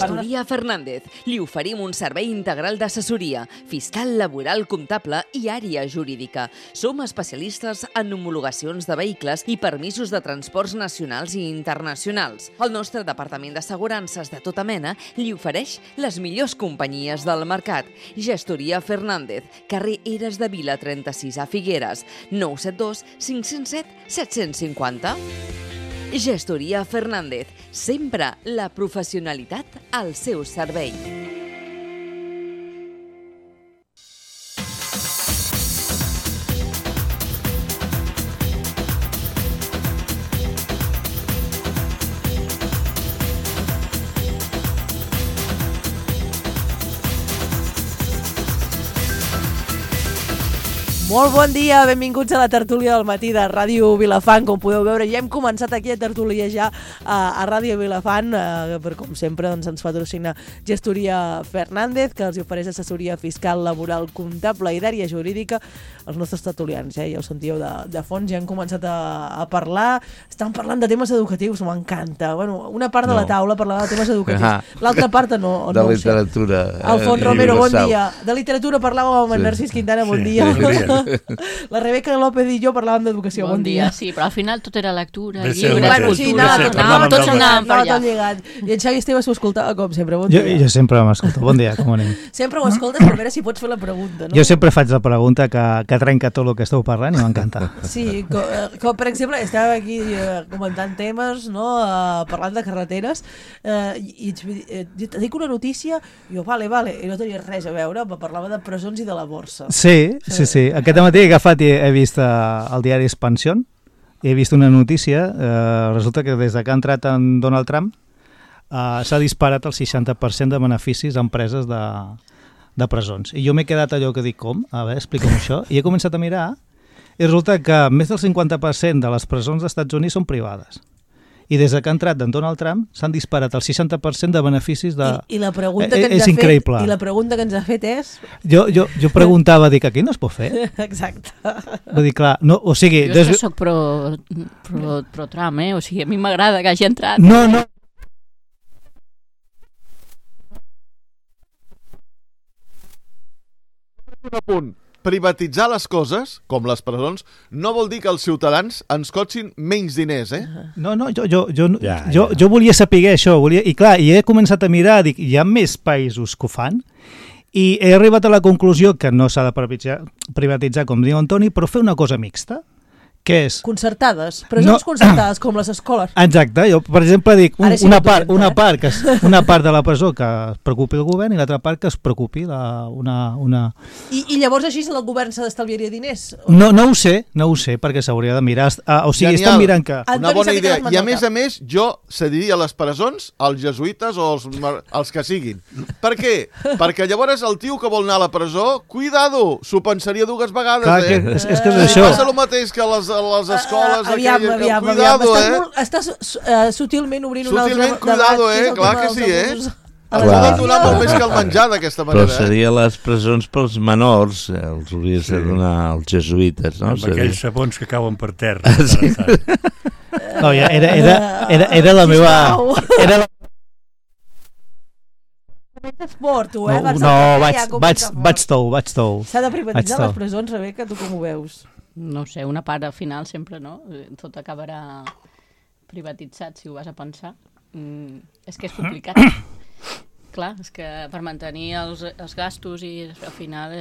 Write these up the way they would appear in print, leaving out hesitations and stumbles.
Gestoria Fernández. Li oferim un servei integral d'assessoria, fiscal, laboral, comptable i àrea jurídica. Som especialistes en homologacions de vehicles i permisos de transports nacionals i internacionals. El nostre departament d'assegurances de tota mena li ofereix les millors companyies del mercat. Gestoria Fernández, carrer Eres de Vila 36 a Figueres, 972 507 750. Gestoria Fernández, sempre la professionalitat al seu servei. Molt bon dia, benvinguts a la tertúlia del matí de Ràdio Vilafant. Com podeu veure, ja hem començat aquí a tertuliejar a Ràdio Vilafant, però com sempre doncs, ens patrocina Gestoria Fernández, que els ofereix assessoria fiscal, laboral, comptable i d'àrea jurídica. Els nostres tertulians, ja ho sentíeu de fons, ja han començat a parlar. Estan parlant de temes educatius, m'encanta. Bueno, una part de la taula parlava de temes educatius, l'altra part no de literatura. Alfons Romero, bon dia. De literatura parlàvem amb en Narcís Quintana, bon dia. La Rebeca López i jo parlàvem d'educació, bon dia. Sí, però al final tot era lectura, llibres, cultura, tots anàvem per allà. I en Xavi Esteve s'ho escoltava com sempre, bon dia. Jo sempre m'escolto, bon dia, com anem? Sempre ho escoltes per veure si pots fer la pregunta, no? Jo sempre faig la pregunta que trenca tot el que esteu parlant i m'encanta. Sí, com per exemple, estàvem aquí comentant temes, no? Parlant de carreteres, i et dic una notícia, i jo, vale, i no tenia res a veure, parlava de presons i de la borsa. Sí. Aquest matí he agafat i he vist el diari Expansión i he vist una notícia, resulta que des que ha entrat en Donald Trump s'ha disparat el 60% de beneficis a empreses de presons. I jo m'he quedat allò que dic, com? A veure, explica'm això. I he començat a mirar i resulta que més del 50% de les presons dels Estats Units són privades. I des que ha entrat en Donald Trump s'han disparat el 60% de beneficis de... I la pregunta que ens és increïble. I la pregunta que ens ha fet és... Jo preguntava, dic, aquí no es pot fer? Exacte. Vull dir, clar, no, o sigui... Jo és que soc pro Trump, o sigui, a mi m'agrada que hagi entrat. No. Un apunt. Privatitzar les coses, com les presons, no vol dir que els ciutadans ens cotxin menys diners, eh? No, jo volia saber això, i clar, i he començat a mirar, dic, hi ha més països que ho fan, i he arribat a la conclusió que no s'ha de privatitzar, com diu Antoni, però fer una cosa mixta, que és... Concertades, presons concertades, com les escoles. Exacte, jo, per exemple, dic, una part de la presó que es preocupi el govern i l'altra part que es preocupi una... I llavors així el govern s'ha d'estalviaria diners? No ho sé, perquè s'hauria de mirar... O sigui, estan mirant que... Una bona idea. I a més, jo cediria les presons als jesuïtes o als que siguin. Per què? Perquè llavors el tio que vol anar a la presó, cuidado, s'ho pensaria dues vegades, És que és això. Passa el mateix que les escoles... Aviam. Cuidado, Estàs sutilment obrint un altre debat. Cuidado, clar que sí, Clar. Donar molt més que el menjar d'aquesta manera. Però seria les presons pels menors, els hauries de donar als jesuïtes, no? Amb aquells sabons que cauen per terra. No, era la meva... Esport, tu, vaig tou. S'ha de privatitzar les presons, Rebeca, tu com ho veus? No sé, una part al final sempre, no? Tot acabarà privatitzat, si ho vas a pensar. És que és complicat. Clar, és que per mantenir els gastos i al final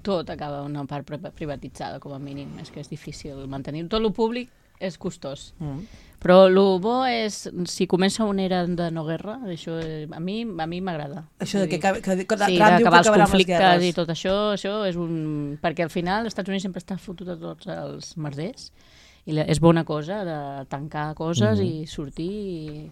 tot acaba una part privatitzada, com a mínim. És que és difícil mantenir. Tot el públic és costós. Però el bo és, si comença una era de no guerra, això a mi m'agrada. Això de que d'acabar els conflictes i tot això és un... Perquè al final els Estats Units sempre està fotut a tots els merders i és bona cosa de tancar coses i sortir i...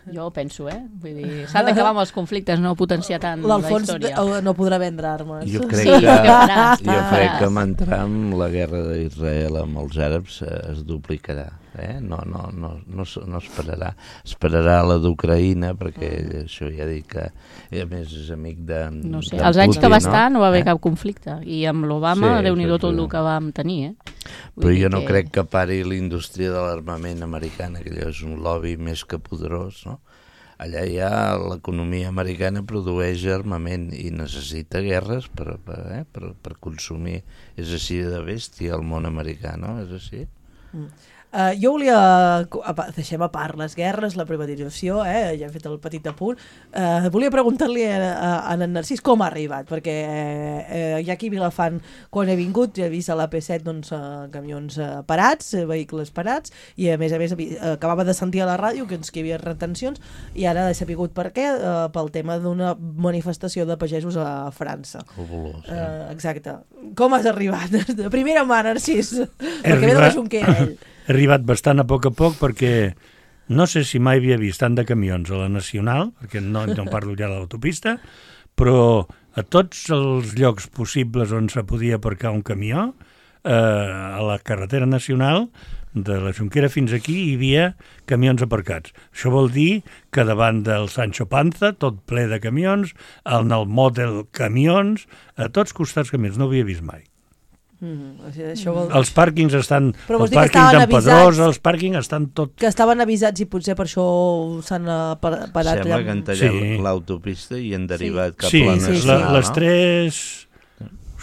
Jo penso, vull dir, s'ha d'acabar amb els conflictes, no potenciar tant la història. L'Alfons no podrà vendre armes. Jo crec que amb entrar la guerra d'Israel amb els àrabs es duplicarà. No esperarà. Esperarà la d'Ucraïna, perquè això ja dic que a més és amic de no sé, els anys que va estar no va haver cap conflicte i amb l'Obama Déu-n'hi-do tot el que vam tenir. Però jo no crec que pari la indústria de l'armament americana, que allò és un lobby més que poderós, no? allà ja l'economia americana produeix armament i necessita guerres per consumir. És així de bèstia el món americà, no? És així. Jo volia, deixem a part les guerres, la privatització, ja hem fet el petit apunt, volia preguntar-li a en Narcís com ha arribat, perquè ja aquí a Vilafant, quan he vingut, ja he vist a l'AP7 doncs, camions parats, vehicles parats, i a més acabava de sentir a la ràdio que hi havia retencions, i ara he sapigut per què, pel tema d'una manifestació de pagesos a França. Exacte. Com has arribat? De primera mà, Narcís, perquè ve de la Junquera, ell. He arribat bastant a poc perquè no sé si mai havia vist tant de camions a la Nacional, perquè no parlo ja de l'autopista, però a tots els llocs possibles on se podia aparcar un camió, a la carretera nacional, de la Junquera fins aquí, hi havia camions aparcats. Això vol dir que davant del Sancho Panza, tot ple de camions, en el Model camions, a tots costats camions, no ho havia vist mai. Els pàrquings estan... Però el pàrquing d'en Pedrosa, els pàrquings estan tot... Que estaven avisats i potser per això s'han parat... Sembla que han tallat l'autopista i han derivat cap a la Nacional. Sí, les 3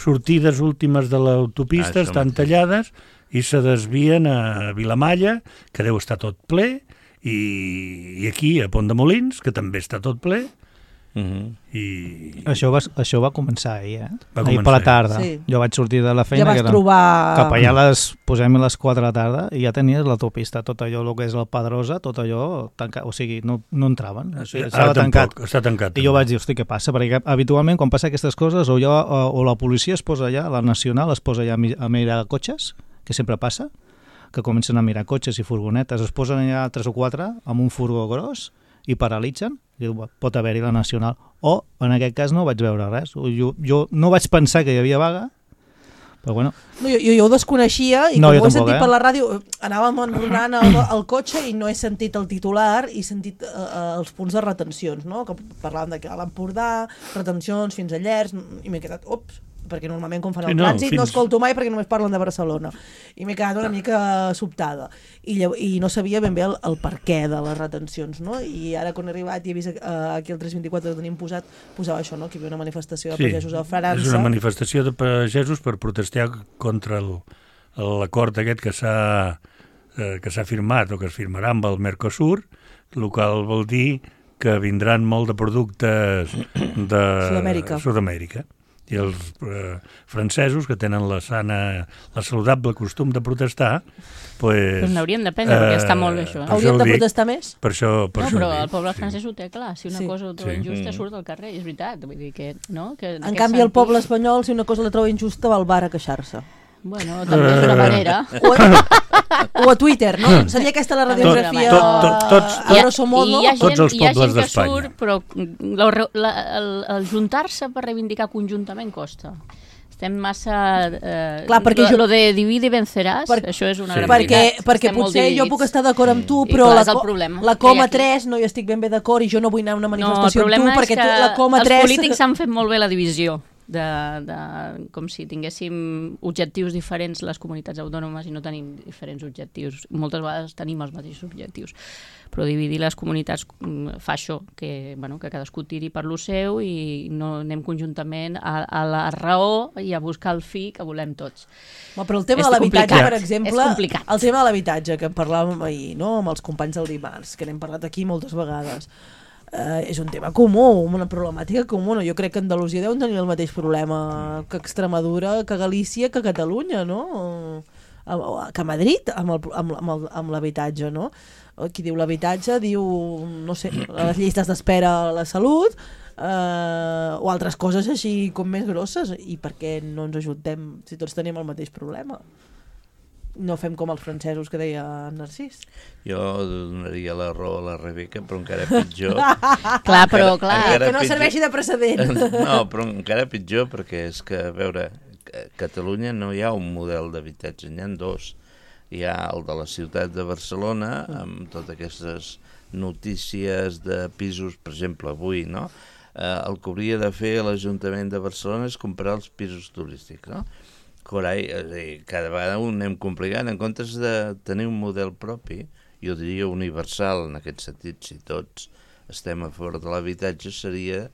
sortides últimes de l'autopista estan tallades i se desvien a Vilamalla, que deu estar tot ple, i aquí a Pont de Molins, que també està tot ple. I... Això va començar ahir, ahir per la tarda. Sí. Jo vaig sortir de la feina, ja vas trobar... cap allà posem les 4 de la tarda, i ja tenies l'autopista, tot allò, el que és el Pedrosa, tot allò tancat, o sigui, no entraven, estava tancat. Està tancat. I jo vaig dir, hosti, què passa? Perquè habitualment quan passa aquestes coses, o la policia es posa allà, la Nacional es posa allà a mirar cotxes, que sempre passa, que comencen a mirar cotxes i furgonetes, es posen allà 3 o 4 amb un furgó gros i paralitzen, i pot haver-hi la Nacional. O, en aquest cas, no vaig veure res. Jo no vaig pensar que hi havia vaga, però bueno... No, jo ho desconeixia, i com ho he sentit per la ràdio, anàvem enronant el cotxe i no he sentit el titular, i he sentit els punts de retencions, no? Que parlàvem de que a l'Empordà, retencions fins a Llers, i m'he quedat, perquè normalment quan fan el trànsit no escolto mai perquè només parlen de Barcelona, i m'he quedat una mica sobtada i no sabia ben bé el per què de les retencions, no? I ara quan he arribat i he vist aquí el 324 que tenim posava això, no? Que hi havia una manifestació de pagesos a França. És una manifestació de pagesos per protestar contra l'acord aquest que s'ha firmat o que es firmarà amb el Mercosur, el qual vol dir que vindran molt de productes de Sud-amèrica. I els francesos, que tenen la saludable costum de protestar, pues... Però n'hauríem d'aprendre, perquè està molt bé això. Hauríem de protestar més? Per això però el poble francès ho té clar, si una cosa ho troba injusta surt al carrer, és veritat. Vull dir que, no? En canvi, el poble espanyol, si una cosa la troba injusta, va al bar a queixar-se. Bueno, també és una manera. O a Twitter, no? Seria aquesta la radiografia a grosso modo? Tots els pobles d'Espanya. Però el juntar-se per reivindicar conjuntament costa. Estem massa... Clar, perquè lo de divide i venceràs, això és una gran veritat. Perquè potser jo puc estar d'acord amb tu, però la coma 3 no hi estic ben bé d'acord i jo no vull anar a una manifestació amb tu, perquè la coma 3... Els polítics han fet molt bé la divisió. Com si tinguéssim objectius diferents les comunitats autònomes i no tenim diferents objectius. Moltes vegades tenim els mateixos objectius, però dividir les comunitats fa això, que cadascú tiri per lo seu i no anem conjuntament a la raó i a buscar el fi que volem tots. Però el tema de l'habitatge, per exemple, el tema de l'habitatge que parlàvem ahir, no? Amb els companys del dimarts, que n'hem parlat aquí moltes vegades, és un tema comú, una problemàtica comuna. Jo crec que Andalusia deu tenir el mateix problema que Extremadura, que Galícia, que Catalunya, no? Que Madrid, amb l'habitatge, no? Qui diu l'habitatge diu, no sé, les llistes d'espera a la salut, o altres coses així com més grosses. I per què no ens ajuntem si tots tenim el mateix problema? No fem com els francesos que deia Narcís. Jo donaria la raó a la Rebeca, però encara pitjor. Clar, que no serveixi de precedent. No, però encara pitjor, perquè és que, a veure, a Catalunya no hi ha un model d'habitatge, n'hi ha 2. Hi ha el de la ciutat de Barcelona, amb totes aquestes notícies de pisos, per exemple, avui, no? El que hauria de fer l'Ajuntament de Barcelona és comprar els pisos turístics, no? Carai, cada vegada ho anem complicant. En comptes de tenir un model propi, jo diria universal en aquest sentit, si tots estem a favor de l'habitatge, seria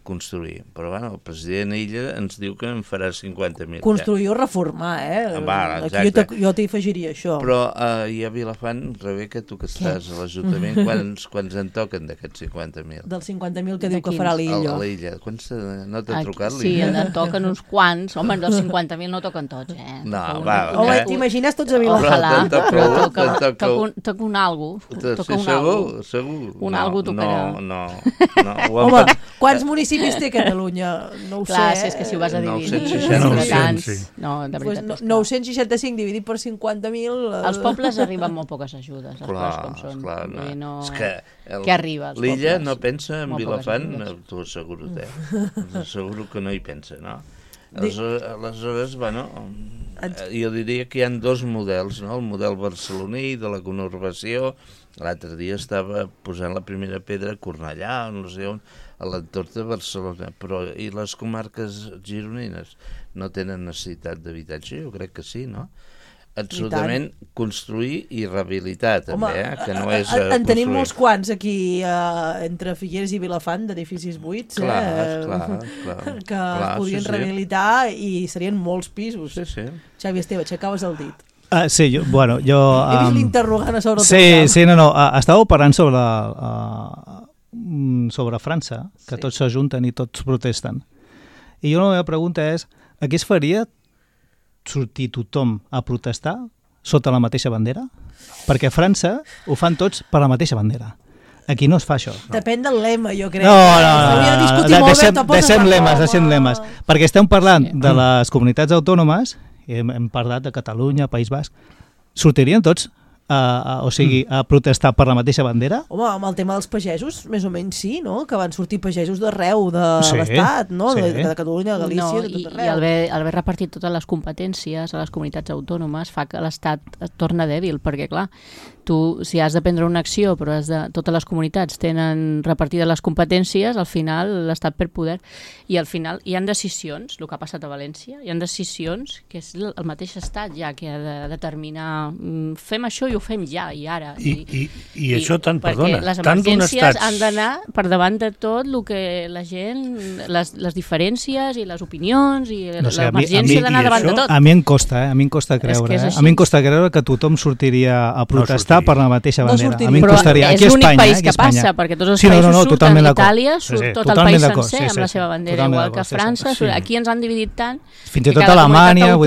construir. Però bueno, el president Illa ens diu que en farà 50.000. Construir o reformar, Exacte. Aquí jo t'hi afegiria això. Però i a Vilafant, Rebeca, tu que estàs a l'Ajuntament, quants en toquen d'aquests 50.000? Dels 50.000 que diu que farà l'Illa. A l'Illa. No t'ha trucat Sí, l'Illa? en toquen uns quants. Home, dels 50.000 no toquen tots, No, Home, t'imagines tots a Vilafant? Ojalà, però toca un algo. Segur. Un algo tocarà. No. Home, quants municipis té Catalunya? No ho sé. Clar, és que si ho vas a dividir... 965. No, de veritat. Pues 965 dividit per 50.000... Als pobles arriben molt poques ajudes, els pobles com són. Clar, no. És que Què arriba als pobles? l'Illa no pensa en Molt Vilafant, poques t'ho asseguro, asseguro que no hi pensa, no? Aleshores, bueno, jo diria que hi ha dos models, no? El model barceloní de la conurbació. L'altre dia estava posant la primera pedra a Cornellà, no sé on, a l'entorn de Barcelona, però i les comarques gironines no tenen necessitat d'habitatge? Jo crec que sí, no? Absolutament construir i rehabilitar, també, que no és en tenim molts quants aquí, entre Figueres i Vilafant, d'edificis buits, clar, que es podien rehabilitar i serien molts pisos. Sí. Xavi Esteve, aixecaves el dit. Sí, jo... He vist l'interrogant a sobre el Sí, no. Estàveu parlant sobre França, que tots s'ajunten i tots protesten. I la meva pregunta és, què es faria sortir tothom a protestar sota la mateixa bandera? Perquè a França ho fan tots per la mateixa bandera. Aquí no es fa això. Depèn del lema, jo crec. No. Deixem lemes. Perquè estem parlant de les comunitats autònomes, hem parlat de Catalunya, País Basc, sortirien tots a protestar per la mateixa bandera? Home, amb el tema dels pagesos, més o menys sí, no? Que van sortir pagesos d'arreu de l'Estat, no? De Catalunya, de Galícia, de tot arreu. I haver repartit totes les competències a les comunitats autònomes fa que l'Estat es torna dèbil, perquè clar, tu, si has de prendre una acció, però totes les comunitats tenen repartides les competències, al final l'Estat perd poder. I al final hi ha decisions, el que ha passat a València, hi ha decisions que és el mateix Estat ja que ha de determinar fem això i ho fem ja, i ara. I això tant, perdona, les tant d'un emergències estat... han d'anar per davant de tot el que la gent, les diferències i les opinions, i l'emergència ha d'anar davant de tot. A mi em costa creure. A mi em costa creure que tothom sortiria a protestar per la mateixa bandera. A mi em costaria. Però és l'únic país que passa, perquè tots els països surten, Itàlia surt tot el país sencer amb la seva bandera, igual que França. Aquí ens han dividit tant fins i tot Alemanya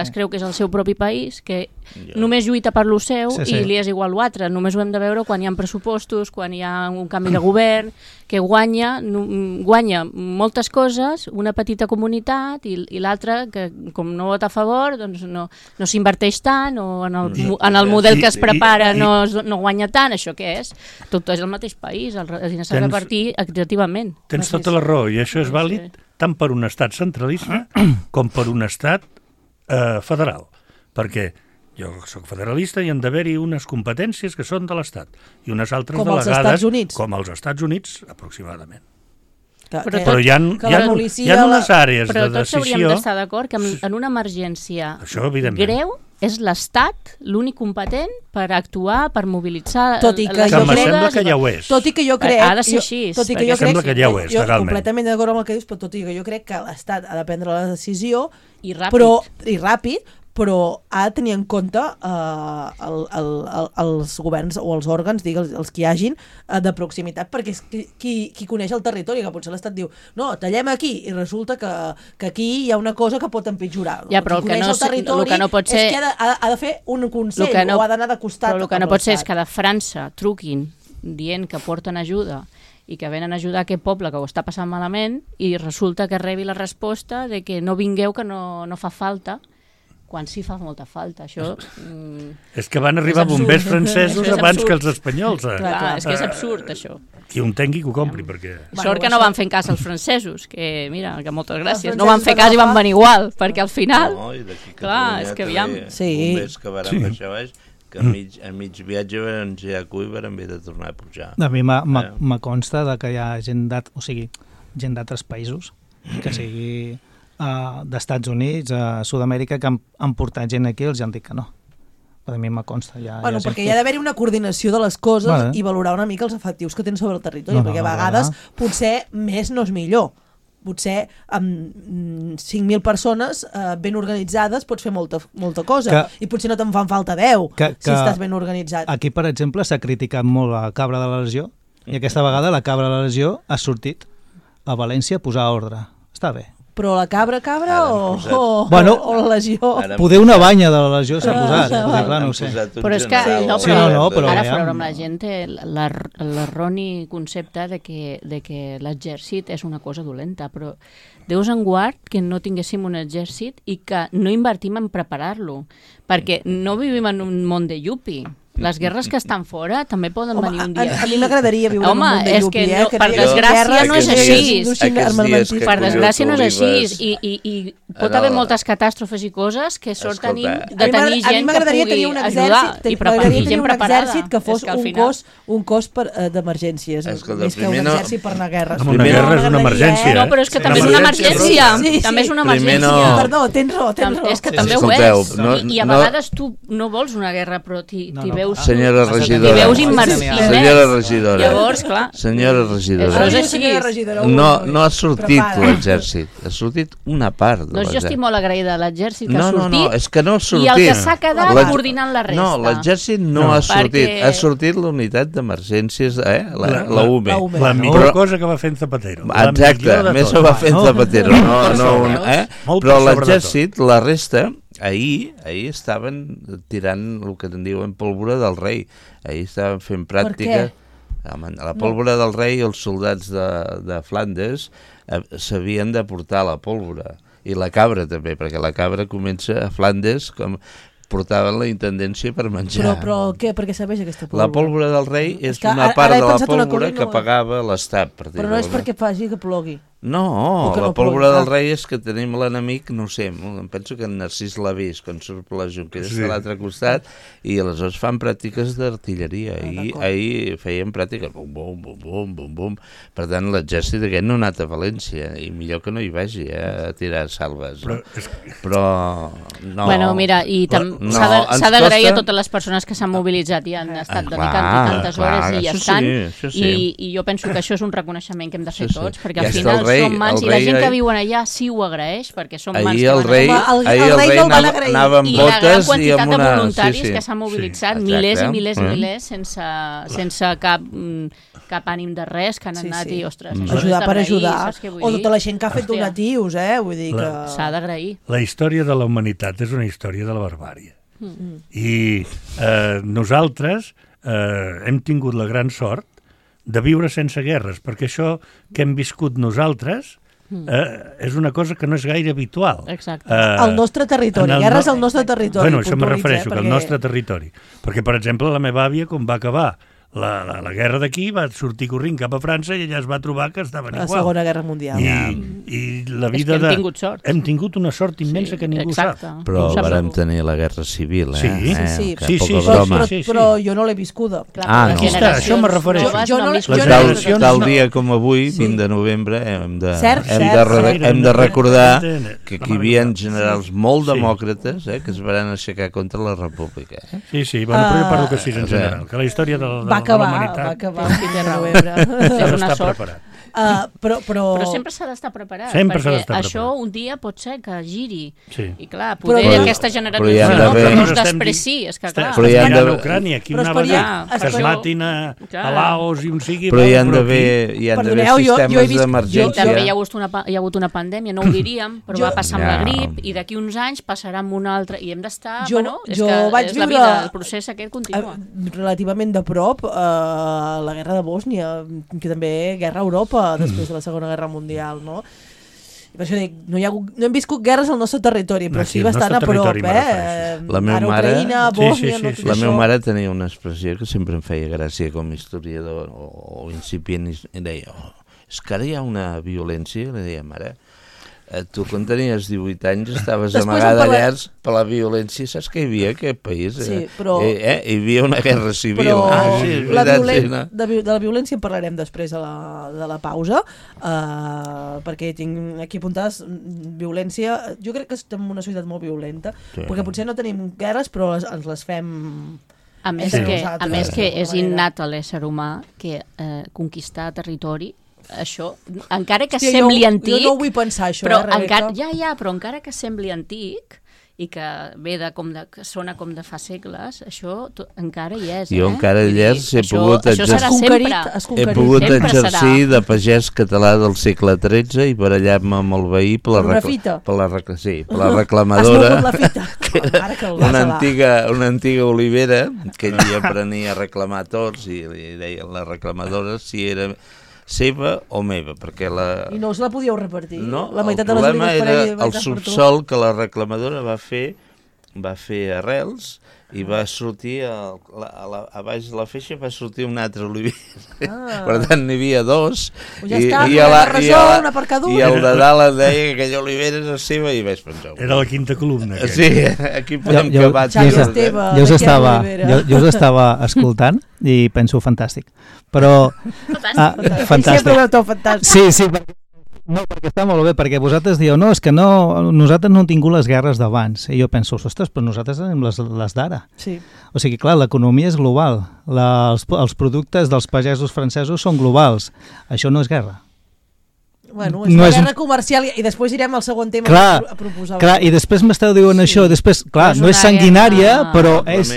es creu que és el seu propi país, que només lluita per lo seu i li és igual l'altre. Només ho hem de veure quan hi ha pressupostos, quan hi ha un canvi de govern, que guanya moltes coses, una petita comunitat, i l'altra, que com no vota a favor, doncs no s'inverteix tant, o en el model que es prepara no guanya tant. Això què és? Tot és el mateix país, el diner s'ha de repartir equitativament. Tens tota la raó, i això és vàlid tant per un estat centralista com per un estat federal, perquè jo soc federalista i han d'haver-hi unes competències que són de l'Estat i unes altres delegades com els Estats Units aproximadament. Però hi ha unes àrees de decisió... Però tots hauríem d'estar d'acord que en una emergència greu és l'Estat l'únic competent per actuar, per mobilitzar... Tot i que sembla que ja ho és. Tot i que jo crec... Ha de ser així. Sembla que ja ho és, legalment. Completament d'acord amb el que dius, però tot i que jo crec que l'Estat ha de prendre la decisió i ràpid, però ha de tenir en compte els governs o els òrgans, els que hi hagin, de proximitat, perquè és qui coneix el territori, que potser l'Estat diu no, tallem aquí, i resulta que aquí hi ha una cosa que pot empitjorar. Ja, però el que no pot ser... És que ha de fer un consell, o ha d'anar de costat. Però el que no pot ser és que de França truquin dient que porten ajuda i que venen a ajudar aquest poble que ho està passant malament, i resulta que rebi la resposta de que no vingueu, que no fa falta, quan sí fa molta falta. Això... És que van arribar bombers francesos abans que els espanyols. Clar, és que és absurd, això. Qui ho entengui que ho compri, perquè... Sort que no van fer cas als francesos, que mira, que moltes gràcies. No van fer cas i van venir igual, perquè al final... No, i d'aquí clar, és que aviam... Bombers que van baixar baix, que a mig viatge van girar cul i van haver de tornar a pujar. A mi me consta que hi ha gent d'altres països, que sigui... d'Estats Units, a Sud-amèrica, que han portat gent aquí i els han dit que no. A mi me consta. Bueno, perquè hi ha d'haver-hi una coordinació de les coses i valorar una mica els efectius que tens sobre el territori, perquè a vegades potser més no és millor. Potser amb 5.000 persones ben organitzades pots fer molta cosa i potser no te'n fan falta 10 si estàs ben organitzat. Aquí, per exemple, s'ha criticat molt la cabra de la Legió i aquesta vegada la cabra de la Legió ha sortit a València a posar ordre. Està bé. Però la cabra o la Legió? Poder una banya de la Legió s'ha posat, clar, no ho sé. Però és que però ara fora amb la gent té l'erroni concepte de que l'exèrcit és una cosa dolenta, però Déus en guard que no tinguéssim un exèrcit i que no invertim en preparar-lo, perquè no vivim en un món de yupi. Les guerres que estan fora també poden venir un dia. A mi m'agradaria viure en un món de yupi, per desgràcia no és així. Per desgràcia no és així. I pot haver moltes catàstrofes i coses que sorten de tenir gent que pugui ajudar i gent preparada. Exèrcit que fos un cos d'emergències, més que un exèrcit per anar a guerres. Una guerra és una emergència. No, però és que també és una emergència. També és una emergència. Perdó, tens raó. És que també ho és. I a vegades tu no vols una guerra, però t'hi veus... Senyora regidora. T'hi veus immersit. Senyora regidora. Llavors, clar. Senyora regidora. Això és així. No ha sortit l'exèrcit. Ha sortit una part de l'exèrcit. Jo estic molt agraïda a l'exèrcit que ha sortit. No, és que no ha sortit. I el que s'ha quedat coordinant la resta. No, l'exèrcit no ha sortit. Ha sortit l'unitat d'emergències, la UME. La millor cosa que va fent Zapatero. Exacte, més ho va fent Zapatero. Però l'exèrcit, la resta... Ahir estaven tirant el que en diuen pólvora del rei. Ahir estaven fent pràctica. La pólvora del rei, els soldats de Flandes s'havien de portar la pólvora. I la cabra també, perquè la cabra comença a Flandes com portaven la intendència per menjar. Però què? Per què serveix aquesta pólvora? La pólvora del rei és una part de la pólvora que pagava l'Estat. Però no és perquè faci que plogui. No, la pólvora del rei és que tenim l'enemic, no ho sé, em penso que en Narcís l'ha vist quan surt per les Junqueras de l'altre costat i aleshores fan pràctiques d'artilleria i ahir feien pràctiques bum, bum, bum, bum, bum. Per tant, l'exèrcit aquest no ha anat a València i millor que no hi vagi a tirar salves. Però no... Bueno, mira, i s'ha d'agrair a totes les persones que s'han mobilitzat i han estat dedicant tantes hores i hi estan, i jo penso que això és un reconeixement que hem de fer tots, perquè al final som mans i la gent que viuen allà sí ho agraeix, perquè som mans que van ahir el rei anava amb botes i amb una... I la gran quantitat de voluntaris que s'han mobilitzat, milers i milers sense cap ànim de res, que han anat i, ostres, ajudar per ajudar, o tota la gent que ha fet donatius, vull dir que... S'ha d'agrair. La història de la humanitat és una història de la barbàrie. I nosaltres hem tingut la gran sort de viure sense guerres, perquè això que hem viscut nosaltres és una cosa que no és gaire habitual. Exacte. Al nostre territori, guerres al nostre territori. Bueno, això me refereixo, que al nostre territori. Perquè, per exemple, la meva àvia, quan va acabar la guerra d'aquí, va sortir corrent cap a França i allà es va trobar que estaven igual. La Segona Guerra Mundial. I la vida hem tingut sort. Hem tingut una sort immensa que ningú sap. Però vàrem tenir la Guerra Civil, Sí. Però jo no l'he viscuda. No. Això me refereixo. Tal dia com avui, 20 de novembre, hem de recordar que aquí hi havia generals molt demòcrates que es van aixecar contra la República. Sí, bueno, però jo parlo que sí en general, que la història de va acabar el 5 de novembre. És una sort. Però sempre s'ha d'estar preparat, perquè això un dia pot ser que giri. I clar, poder aquesta generació no es despreciï. Però hi ha d'haver Ucrània, aquí una vegada que es matin a Laos i un sigui... Però hi ha d'haver sistemes d'emergència. També hi ha hagut una pandèmia, no ho diríem, però va passar amb la grip i d'aquí uns anys passarà amb una altra i hem d'estar... És la vida, el procés aquest continua. Relativament de prop la guerra de Bòsnia, que també guerra a Europa després de la Segona Guerra Mundial, no? I per això dic, no hem viscut guerres al nostre territori, però sí bastant a prop, La meva mare, Ucraïna, Bòsnia, la meva mare tenia una expressió que sempre em feia gràcia com a historiador o incipient, i deia, és que ara hi ha una violència, li deia, mare, Tu, quan tenies 18 anys, estaves Després amagada allà per la violència. Saps què hi havia en aquest país? Sí, però... Hi havia una guerra civil. Però Sí, és la veritat, de la violència en parlarem després de la pausa, perquè tinc aquí apuntades violència. Jo crec que estem en una societat molt violenta, perquè potser no tenim guerres, però ens les fem... A més que és innat a l'ésser humà que conquistar territori, això, encara que sembli antic... Jo no ho vull pensar, això, però Rebeca. però encara que sembli antic i que ve que sona com de fa segles, això encara hi és. Jo encara hi és, he pogut exercir de pagès català del segle XIII i barallar-me amb el veí per la reclamadora. Has mogut la fita. Una antiga olivera que ell aprenia a reclamar tots i li deien la reclamadora si era seva o meva, perquè I no us la podíeu repartir? No, la meitat el de les problema era el per subsol que la reclamadora va fer arrels i va sortir a baix de la feixa va sortir un altre oliver. Per tant, n'hi havia dos. Ja està, una per cada un. I el de dalt em deia que aquella olivera era seva i vaig pensar. Era la quinta columna. Sí, aquí podem acabar. Jo us estava escoltant i penso fantàstic. Però... Fantàstic. Sempre ho veu tot fantàstic. Sí, perquè està molt bé, perquè vosaltres dieu, no, és que nosaltres no hem tingut les guerres d'abans. I jo penso, ostres, però nosaltres tenim les d'ara. Sí. O sigui, clar, l'economia és global. Els productes dels pagesos francesos són globals. Això no és guerra. Bueno, és una guerra comercial i després irem al segon tema a proposar. Clar, i després m'esteu dient això, després, clar, no és sanguinària, però és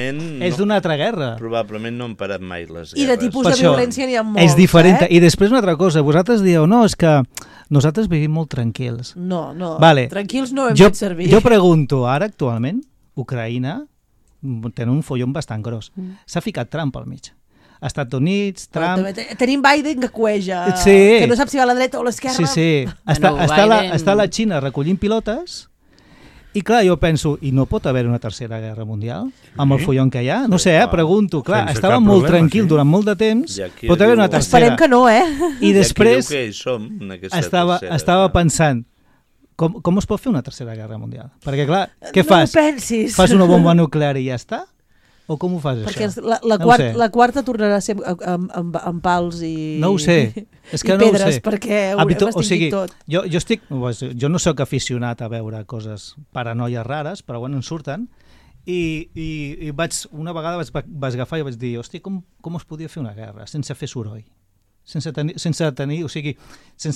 d'una altra guerra. Probablement no han parat mai les guerres. I de tipus de violència n'hi ha molts. És diferent. I després una altra cosa, vosaltres dieu, no, és que nosaltres vivim molt tranquils. No, tranquils no hem fet servir. Jo pregunto, ara actualment, Ucraïna tenen un follon bastant gros. S'ha ficat Trump al mig. Estats Units, Trump... Tenim Biden que cueja, sí. Que no sap si va a la dreta o a l'esquerra. Sí. Està la Xina recollint pilotes i clar, jo penso, i no pot haver una tercera guerra mundial amb el follon que hi ha? No sé, pregunto. Clar, estava molt tranquil durant molt de temps, pot haver una tercera. Esperem que no, I després estava pensant, com es pot fer una tercera guerra mundial? Perquè clar, què fas? No ho pensis. Fas una bomba nuclear i ja està? O com ho fas, perquè això? Perquè la quarta tornarà a ser amb pals i pedres, perquè ho estigui tot. Jo no sóc aficionat a veure coses paranoies rares, però bueno, en surten, i una vegada vaig agafar i vaig dir, hosti, com es podia fer una guerra sense fer soroll? Sense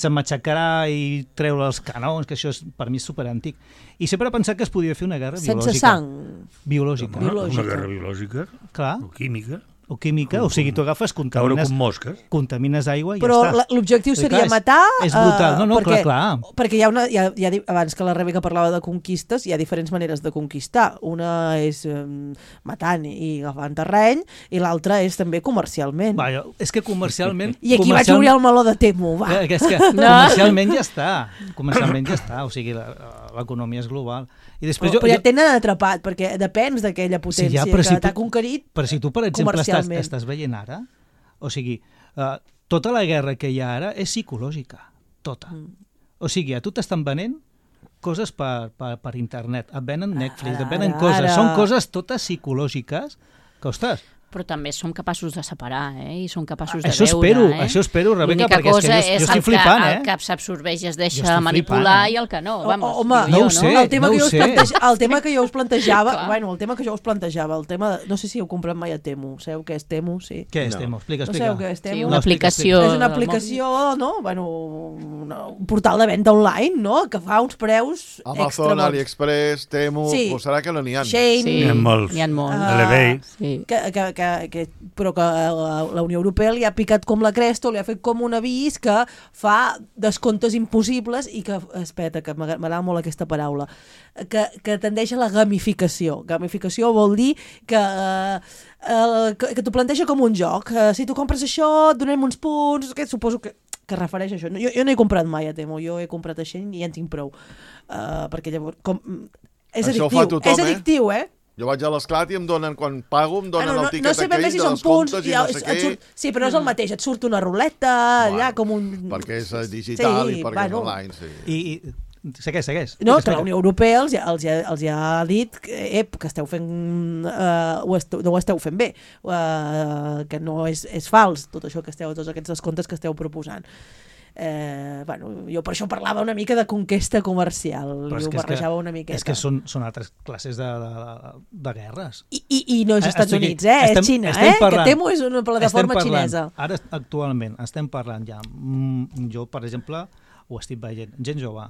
matxacar i treure els canons, que això per mi és superantic. I sempre he pensat que es podia fer una guerra biològica. Sense sang? Biològica. Una guerra biològica? Clar. O química? O química, o sigui, tu agafes, contamines aigua i ja però està. Però l'objectiu seria matar... És brutal, clar. Perquè abans que la Rebeca parlava de conquistes, hi ha diferents maneres de conquistar. Una és matant i agafant terreny, i l'altra és també comercialment. És que comercialment... I aquí vaig obrir el meló de Temu, va. És que comercialment ja està, o sigui, l'economia és global. I després però ja tenen atrapat, perquè depens d'aquella potència que t'ha conquerit comercialment. Però si tu, per exemple, estàs veient ara, o sigui, tota la guerra que hi ha ara és psicològica, tota. O sigui, a tu t'estan venent coses per internet, et venen Netflix, et venen coses, són coses totes psicològiques que, ostres... Però també som capaços de separar, i som capaços de veure. Això espero, Rebeca, perquè és que jo estic flipant, el que s'absorbeix es deixa manipular i el que no. Home, no ho sé, el tema que jo us plantejava, no sé si heu comprat mai a Temu, sabeu què és Temu? Sí. Què és Temu? Explica. No sabeu què és Temu? Una aplicació. És una aplicació, no? Un portal de venda online, no? Que fa uns preus extra. Amazon, AliExpress, Temu, serà que no n'hi ha. Shane. N'hi ha molts. Però que la Unió Europea li ha picat com la cresta, li ha fet com un avís que fa descomptes impossibles i que, espera, que m'agrada molt aquesta paraula, que tendeix a la gamificació. Gamificació vol dir que t'ho planteja com un joc. Si tu compres això, et donem uns punts, que suposo que refereix a això. Jo no he comprat mai a Temu, jo he comprat a Shein i ja en tinc prou. Perquè llavors... És addictiu, Jo vaig a l'Esclat i em donen, quan pago, em donen el tiquet aquell de descomptes i no sé què. Sí, però no és el mateix, et surt una ruleta, allà com un... Perquè és digital i perquè és online, sí. I Segueix. No, que la Unió Europea els ha dit que esteu fent... no ho esteu fent bé, que no és fals tot això que tots aquests descomptes que esteu proposant. Jo per això parlava una mica de conquesta comercial, i ho barrejava una miqueta. És que són altres classes de guerres. I no és Estats Units, és Xina, que Temu és una plataforma xinesa. Ara, actualment, estem parlant ja, jo, per exemple, ho estic veient, gent jove,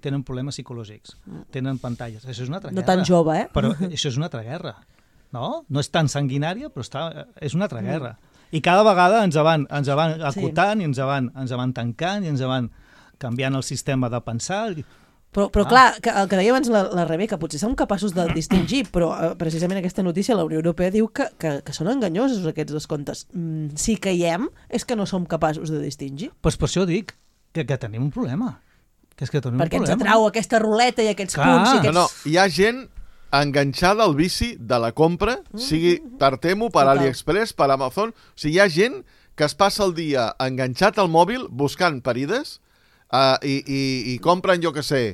tenen problemes psicològics, tenen pantalles, això és una altra guerra. No tan jove, Però això és una altra guerra, no? No és tan sanguinària, però és una altra guerra. I cada vegada ens van acotant, i ens van tancant, i ens van canviant el sistema de pensar. Però clar, el que deia abans la Rebeca, potser som capaços de distingir, però precisament aquesta notícia la Unió Europea diu que són enganyosos aquests descomptes. Si caiem, és que no som capaços de distingir. Doncs per això dic que tenim un problema. Perquè ens atrau aquesta ruleta i aquests punts. No, hi ha gent enganxada al vici de la compra, sigui per Temu, per AliExpress, per Amazon. O sigui, hi ha gent que es passa el dia enganxat al mòbil buscant parides i compren, jo què sé,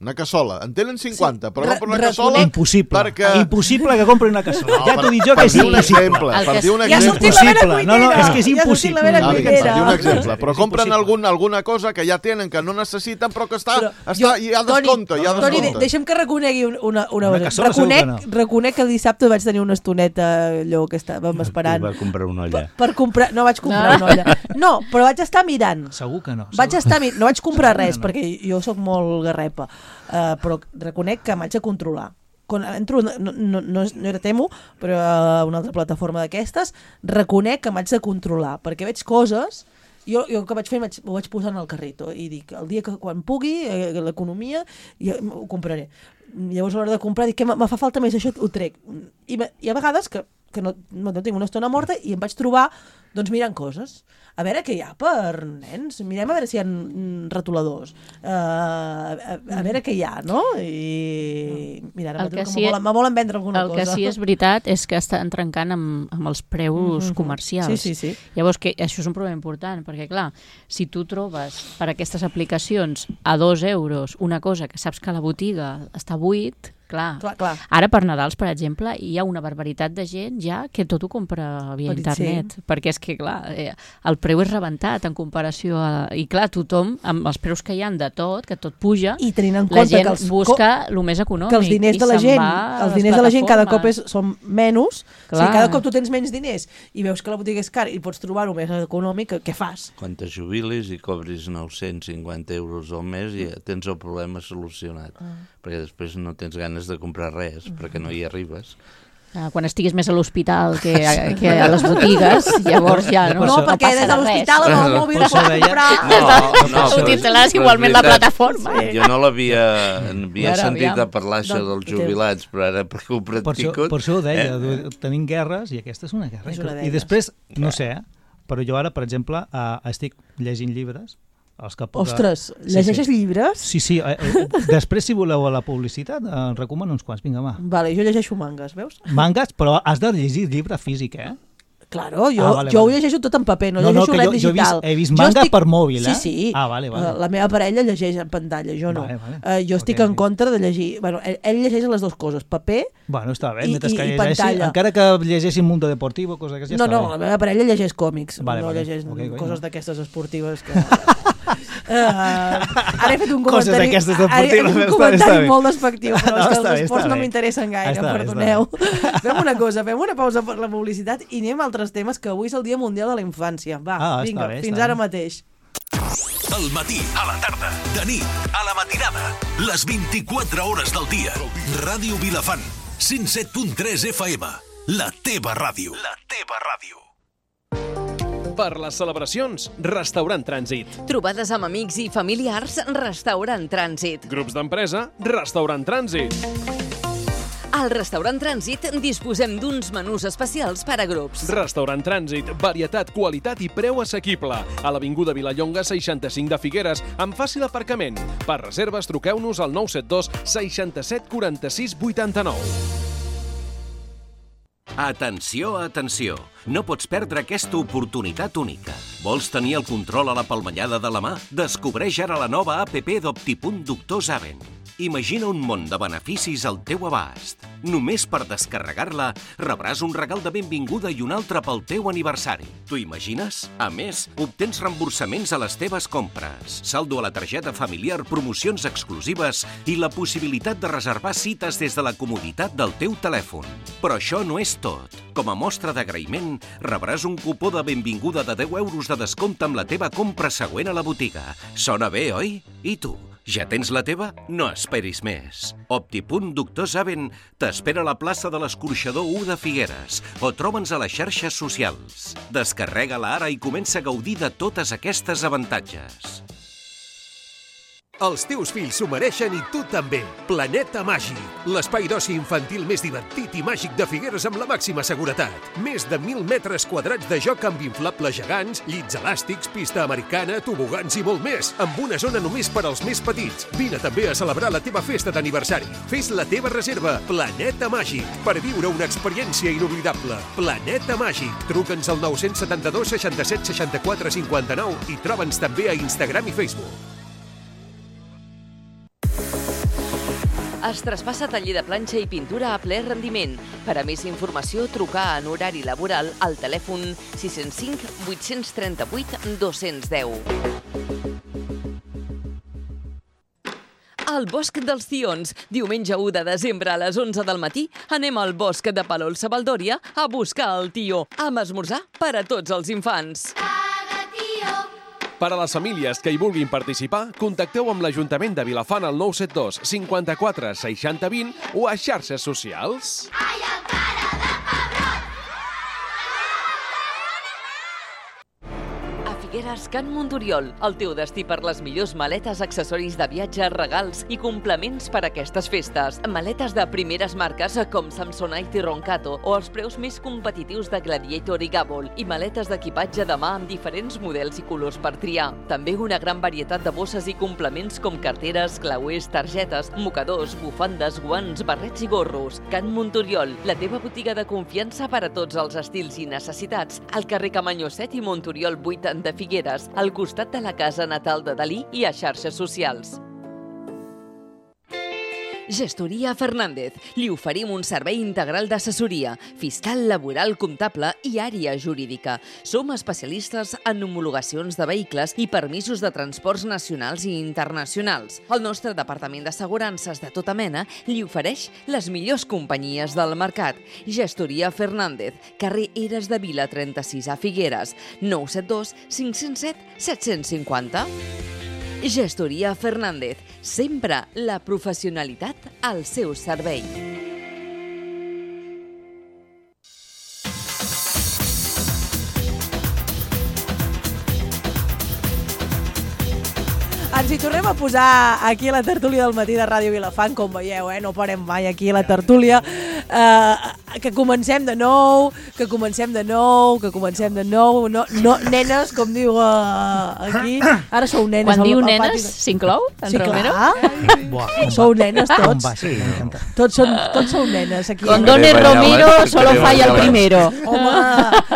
una cassola. En tenen 50, però compren una cassola... Impossible. Impossible que comprin una cassola. Ja t'ho dic jo que és impossible. Per dir un exemple. Ja ha sortit la vera cuinera. No, és que és impossible. Per dir un exemple. Però compren alguna cosa que ja tenen, que no necessiten, però que hi ha descompte. Toni, deixa'm que reconegui una cosa. Reconec que dissabte vaig tenir una estoneta allò que estàvem esperant. I va comprar una olla. No vaig comprar una olla. No, però vaig estar mirant. Segur que no. No vaig comprar res, perquè jo sóc molt garrepa. Però reconec que m'haig de controlar. Quan entro, no era Temu, però una altra plataforma d'aquestes, reconec que m'haig de controlar, perquè veig coses, jo el que vaig fer ho vaig posar en el carrito i dic, el dia que quan pugui, l'economia, ho compraré. Llavors a l'hora de comprar dic que me fa falta més això, ho trec. I hi ha vegades que no tinc una estona morta i em vaig trobar mirant coses. A veure què hi ha per nens. Mirem a veure si hi ha retoladors. A veure què hi ha, no? I mira, ara me volen vendre alguna cosa. El que sí és veritat és que estan trencant amb els preus comercials. Sí. Llavors, això és un problema important, perquè clar, si tu trobes per aquestes aplicacions a 2 euros una cosa que saps que a la botiga està buit, clar. Ara per Nadals, per exemple, hi ha una barbaritat de gent ja que tot ho compra via internet, perquè és que, clar, el preu és rebentat en comparació a... I clar, tothom, amb els preus que hi ha de tot, que tot puja, i tenint en la compte gent busca el més econòmic. Que els diners de la gent, cada cop són menys. O sigui, cada cop tu tens menys diners i veus que la botiga és cara i pots trobar-ho més econòmic, què fas? Quan te jubilis i cobris 950 euros al mes ja tens el problema solucionat, perquè després no tens ganes de comprar res, perquè no hi arribes. Quan estiguis més a l'hospital que a les botigues, llavors ja no perquè des de l'hospital amb el mòbil pots comprar... No, utilitzaràs igualment la plataforma. Jo no l'havia sentit a parlar això dels jubilats, però ara perquè ho practico... Per això ho deia, tenim guerres i aquesta és una guerra. I després, no sé, però jo ara, per exemple, estic llegint llibres. Ostres, llegeixes llibres? Sí. Després, si voleu a la publicitat, recomano uns quants. Vinga, va. Vale, jo llegeixo mangas, veus? Mangas, però has de llegir llibre físic, Claro, jo ho llegeixo tot en paper, no llegeixo res digital. He vist manga per mòbil, Sí. Vale. La meva parella llegeix en pantalla, jo no. Jo estic en contra de llegir... Bueno, ell llegeix les dues coses, paper està bé, i pantalla. Encara que llegeixi Mundo Deportivo, cosa que ja està bé. No, la meva parella llegeix còmics, no llegeix coses d'aquestes esportives que... Ara he fet un comentari molt despectiu, però és que els esports no m'interessen gaire, perdoneu. Fem una cosa, fem una pausa per la publicitat i anem a altres temes, que avui és el Dia Mundial de la Infància. Va, vinga, fins ara mateix. Al matí, a la tarda, de nit, a la matinada, les 24 hores del dia. Ràdio Vilafant, 107.3 FM, la teva ràdio. La teva ràdio. Per les celebracions, Restaurant Trànsit. Trobades amb amics i familiars, Restaurant Trànsit. Grups d'empresa, Restaurant Trànsit. Al Restaurant Trànsit disposem d'uns menús especials per a grups. Restaurant Trànsit, varietat, qualitat i preu assequible. A l'Avinguda Vilallonga 65 de Figueres, amb fàcil aparcament. Per reserves, truqueu-nos al 972 67 46 89. Atenció, atenció! No pots perdre aquesta oportunitat única. Vols tenir el control a la palmellada de la mà? Descobreix ara la nova app d'Optipunt Doctor Zaven. Imagina un món de beneficis al teu abast. Només per descarregar-la rebràs un regal de benvinguda i un altre pel teu aniversari. T'ho imagines? A més, obtens reemborsaments a les teves compres, saldo a la targeta familiar, promocions exclusives i la possibilitat de reservar cites des de la comoditat del teu telèfon. Però això no és tot. Com a mostra d'agraïment, rebràs un cupó de benvinguda de 10 euros de descompte amb la teva compra següent a la botiga. Sona bé, oi? I tu? Ja tens la teva? No esperis més. Optipunt Doctor Zaven t'espera a la plaça de l'Escorxador 1 de Figueres o troba'ns a les xarxes socials. Descarrega-la ara i comença a gaudir de totes aquestes avantatges. Els teus fills s'ho mereixen i tu també. Planeta Màgic, l'espai d'oci infantil més divertit i màgic de Figueres amb la màxima seguretat. Més de 1.000 metres quadrats de joc amb inflables gegants, llits elàstics, pista americana, tobogans i molt més, amb una zona només per als més petits. Vine també a celebrar la teva festa d'aniversari. Fes la teva reserva. Planeta Màgic, per viure una experiència inoblidable. Planeta Màgic. Truca'ns al 972 67 64 59 i troba'ns també a Instagram i Facebook. Es traspassa taller de planxa i pintura a ple rendiment. Per a més informació, trucar en horari laboral al telèfon 605 838 210. Al Bosc dels Tions, diumenge 1 de desembre a les 11 del matí, anem al bosc de Palol-Savaldòria a buscar el tió, amb esmorzar per a tots els infants. Per a les famílies que hi vulguin participar, contacteu amb l'Ajuntament de Vilafant al 972 54 60 20 o a xarxes socials. Figueres, Can Monturiol, el teu destí per les millors maletes, accessoris de viatge, regals i complements per a aquestes festes. Maletes de primeres marques com Samsonite i Roncato o els preus més competitius de Gladiator i Gabol i maletes d'equipatge de mà amb diferents models i colors per triar. També una gran varietat de bosses i complements com carteres, clauers, targetes, mocadors, bufandes, guants, barrets i gorros. Can Monturiol, la teva botiga de confiança per a tots els estils i necessitats. Al carrer Camanyó 7 i Monturiol 8 de Figueres, al costat de la casa natal de Dalí i a xarxes socials. Gestoria Fernández. Li oferim un servei integral d'assessoria, fiscal, laboral, comptable i àrea jurídica. Som especialistes en homologacions de vehicles i permisos de transports nacionals i internacionals. El nostre departament d'assegurances de tota mena li ofereix les millors companyies del mercat. Gestoria Fernández, carrer Eres de Vila 36 a Figueres, 972 507 750. Gestoria Fernández, sempre la professionalitat al seu servei. Ens hi tornem a posar aquí a la tertúlia del matí de Ràdio Vilafant, com veieu, no parem mai aquí a la tertúlia. Que comencem de nou, no, nenes, com diu aquí. Ara sou nenes. Quan diu nenes, s'inclou? Sí, clar. Sou nenes tots. Tots sou nenes aquí. Con Don Romero solo falla el primero. Home,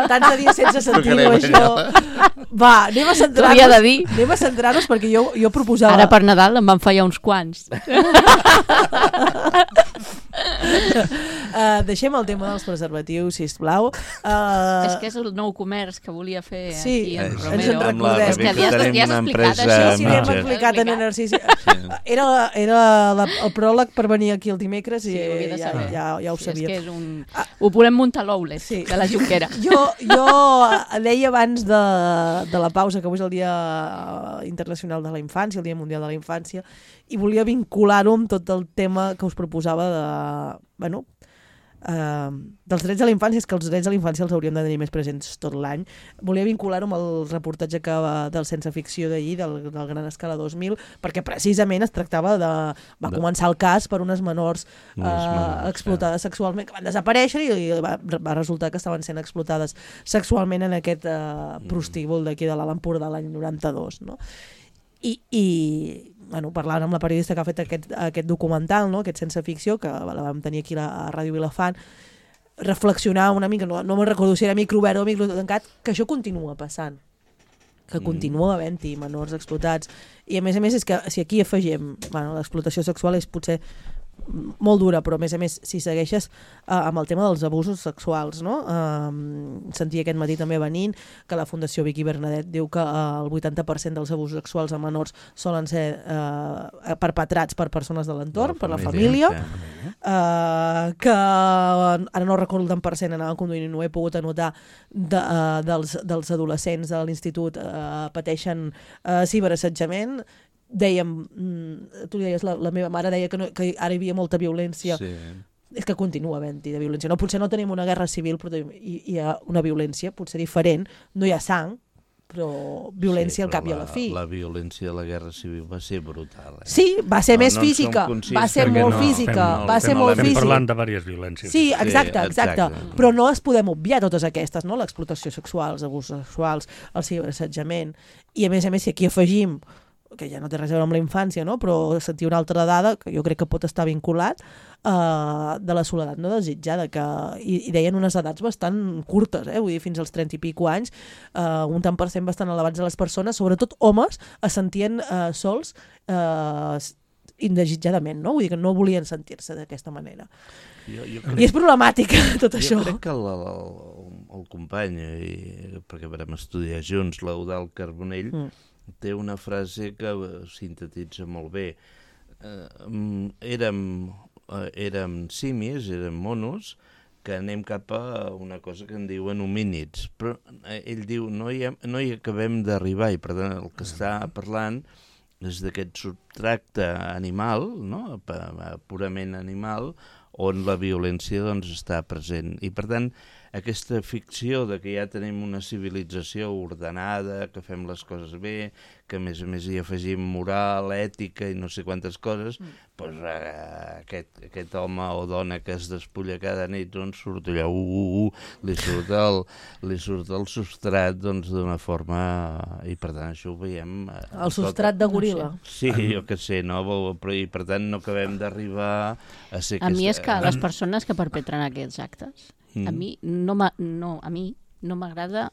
tants de dies sense sentir-ho, això. Va, anem a centrar-nos perquè jo proposava... Ara per Nadal em van fallar uns quants. Deixem el tema dels preservatius, sisplau. És que és el nou comerç que volia fer aquí en Romero. Ens en recordem. És que li has explicat això. Sí, li hem explicat en Narcís. Era el pròleg per venir aquí el dimecres i ja ho sabia. Ho volem muntar l'Oulet de la Junquera. Jo deia abans de la pausa que avui és el Dia Internacional de la Infància, el Dia Mundial de la Infància, i volia vincular-ho amb tot el tema que us proposava dels drets de la infància. És que els drets de la infància els hauríem de tenir més presents tot l'any. Volia vincular-ho amb el reportatge del Sense Ficció d'ahir, del Gran Escala 2000, perquè precisament es tractava va començar el cas per unes menors explotades sexualment, que van desaparèixer i va resultar que estaven sent explotades sexualment en aquest prostíbul d'aquí de l'Alt Empordà l'any 92, no? I parlant amb la periodista que ha fet aquest documental, no? Aquest Sense Ficció, que la vam tenir aquí a Ràdio Vilafant, reflexionar una mica, no me'n recordo si era micro obert o micro tancat, que això continua passant, que continua havent-hi menors explotats, i a més és que si aquí afegim, l'explotació sexual és potser molt dura, però a més si segueixes amb el tema dels abusos sexuals, no? Sentia aquest matí també venint que la Fundació Vicky Bernadet diu que el 80% dels abusos sexuals a menors solen ser perpetrats per persones de l'entorn, per la família, que ara no recordo el tant per cent, anava conduint i no he pogut anotar, dels adolescents de l'institut pateixen ciberassetjament. Dèiem, tu deies, la meva mare deia que ara hi havia molta violència. És que continua havent-hi de violència. Potser no tenim una guerra civil, però hi ha una violència, potser diferent. No hi ha sang, però violència al cap i a la fi. La violència de la guerra civil va ser brutal. Sí, va ser més física, va ser molt física, va ser molt física. Estem parlant de diverses violències. Sí, exacte. Però no les podem obviar totes aquestes, no? L'explotació sexual, els abusos sexuals, el ciberassetjament, i a més, si aquí afegim que ja no té res a veure amb la infància, no? Però sentir una altra dada, que jo crec que pot estar vinculat, de la soledat no desitjada, i deien unes edats bastant curtes, vull dir, fins als 30 i pico anys, un tant per cent bastant elevats de les persones, sobretot homes, es sentien sols indesitjadament, no? Vull dir que no volien sentir-se d'aquesta manera. I és problemàtic tot això. Jo crec que el company, perquè vam estudiar junts, l'Eudald Carbonell, té una frase que sintetitza molt bé. Érem simis, érem monos, que anem cap a una cosa que en diuen homínids. Però ell diu, no hi acabem d'arribar, i per tant el que està parlant és d'aquest subtracte animal, no? Purament animal, on la violència doncs, està present. I per tant, aquesta ficció de que ja tenim una civilització ordenada, que fem les coses bé, que a més hi afegim moral, ètica i no sé quantes coses, doncs aquest home o dona que es despulla cada nit doncs surt allà, li surt el substrat d'una forma... I per tant això ho veiem... El substrat de goril·la. Sí, jo què sé, no? Però i per tant no acabem d'arribar a ser... A mi és que les persones que perpetren aquests actes, a mi no m'agrada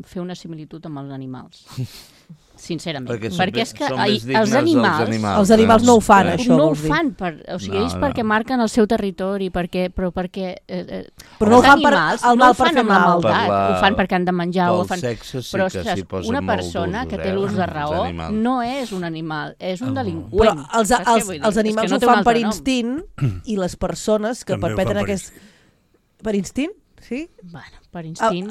fer una similitud amb els animals. Sincerament. Perquè és que els animals no ho fan, això. No ho fan, ells perquè marquen el seu territori, però perquè... Però no ho fan el mal per fer mal. Ho fan perquè han de menjar. Pel sexe sí que s'hi posen una persona que té l'ús de raó no és un animal, és un delinqüent. Però els animals ho fan per instint, i les persones que perpetren aquest... Per instint? Sí? Bueno, per instint,